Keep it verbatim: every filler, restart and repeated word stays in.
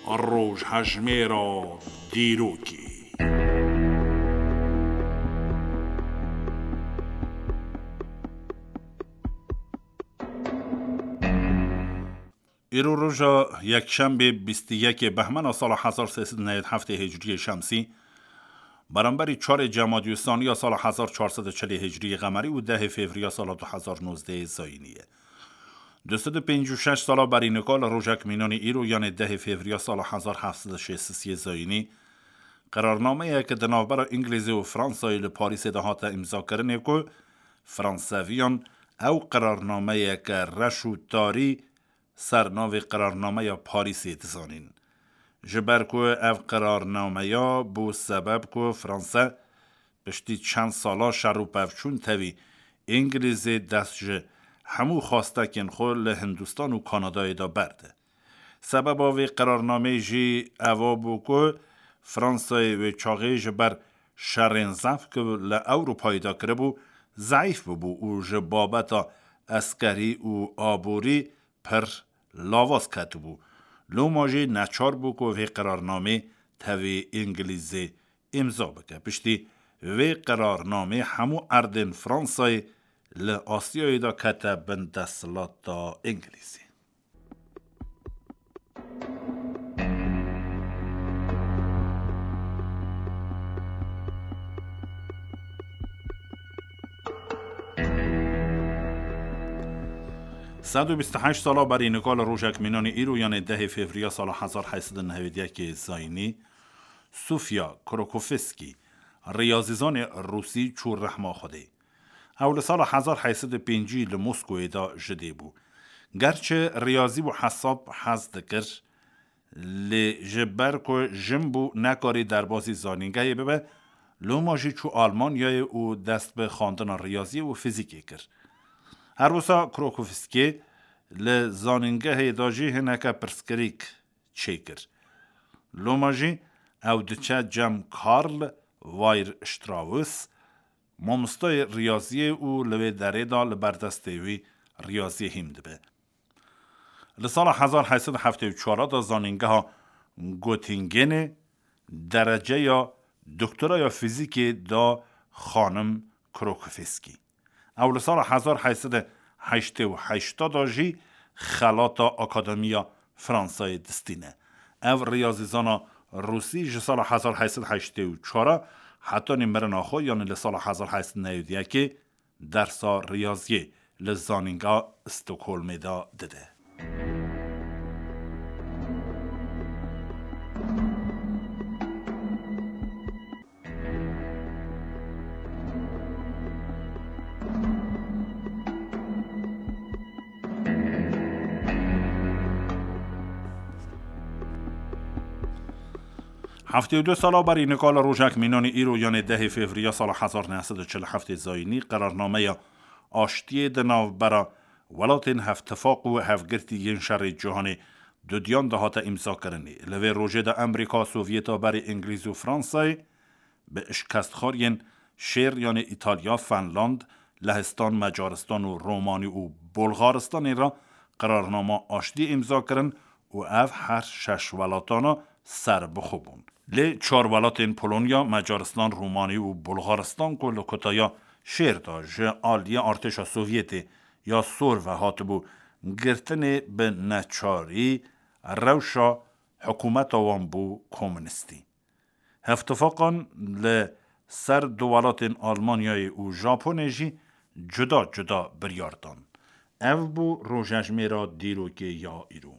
Rojhejmêra dîrokê. Îro roja yekşembê bîst û yekê behmena sala hezar sê sed û newêd heftê hicriyê şemsî, beramberî çarê Cemadî Saniya sala hezar çar sed û çilê hicriyê qemerî û dehê fevriya sala du hezar nozdehê zayînî ye. Du sed û pêncî û şeş sala berî nika li rojek mînanî îro, yanê dehê fevriya sala hezar heft sed û şêst û sê zayînî, qerarnameyeke di navbera Îngilîzê û Fransayê li Parîsê de hate îmzakirinê ku Franseviyan ew qerarnameyeke reş û tarî ser navê Qerarnameya Parîsê dizanîn. Ji ber ku ev qerarnameya bû sebeb ku Franse piştî çend sala şer û pevçûn tevî Îngilîzê dest ji hemû xwestekên xwe li Hindistan û Kanadayê de berde. Sebeba vê qerarnameyê jî eva bû ku Fransayê wê çaxê ji ber şerên zehf ku li Ewropayê de kiribû, zeîf bibû û ji babeta eskerî û aborî pir lawaz ketibû. Loma jî neçar bû ku vê qerarnamê tevî Îngilîzê îmza bike. Piştî vê qerarnamê hemû erdên Fransayê li Asyayê de kete bin desthilata Îngilîzê. Sed û bîst û heşt sala berî nika li rojek mînanî îro, yanê dehê fevriya sala hezar heyt sed û newêd yekê zayînî, Sofya Krokofskî, riyazîzanê rûsî, çû rehma Xwedê. Ew li sala hezar heyt sed û pêncî li Moskowê de ji dê bû. Gerçi riyazî û hesab hez dikir, lê ji ber ku jin bû, nekarî derbasî zanîngehê bibe, loma jî çû Almanyayê û dest bi xwendina riyaziyê û fîzîkê kir. Her wisa Krokofskî li zanîngehê de jî hineke pirsgirêk çêkir. Loma jî ew diçe cem Karl Weierstrass, mamostayê riyaziyê û li wê derê de li ber destê wî riyaziyê hîm dibe. Li sala hezar heyt sed û heftê û çar de zanîngeha Göttingenê dereceya doktoraya fîzîkê da xanim Krokofskî. Ew li sala hezar heyt sed û heştê û heşt de jî xelata Akademiya Fransayê distîne. Ev riyazîzana rûsî ji sala hezar heyt sed û heştê û çar hetanî mirina xwe, yanî li sala hezar heyt sed û newêd yekê, dersa riyaziyê li zanîngeha Stockholmê de dide. Heftê û du sala berî nika li rojek mînanî îro, yanê dehê fevriya sala hezar neh sed û çil û heftê zayînî, qerarnameya aştiyê di navbera welatên Hevtifaq û Hevgirtî yên Şerê Cîhanê dudiyan de hate îmzakirinê. Li vê rojê de Amerîka, Sovyeta berê Îngilîz û Fransayê bi şikestxwariyên şêr, yanê Îtalya, Fenland, Lehistan, Macaristan û Romanî û Bulgaristanê re qerarnama aştiyê îmza kirin û ev her şeş welatana serbixwe bûn. Lê çar welatên Polonya, Macaristan, Romanî û Bulgaristan ku li kutaya şêr de ji aliyê artêşa Sovyetê ya sor ve hatibû girtinê, bi neçarî rewşa hikûmeta wan bû komunîstî. Hevtifaqan li ser du welatên Almanyayê û Japonê jî cuda cuda biryar dan. Ev bû rojejmêra dîrokê ya îro.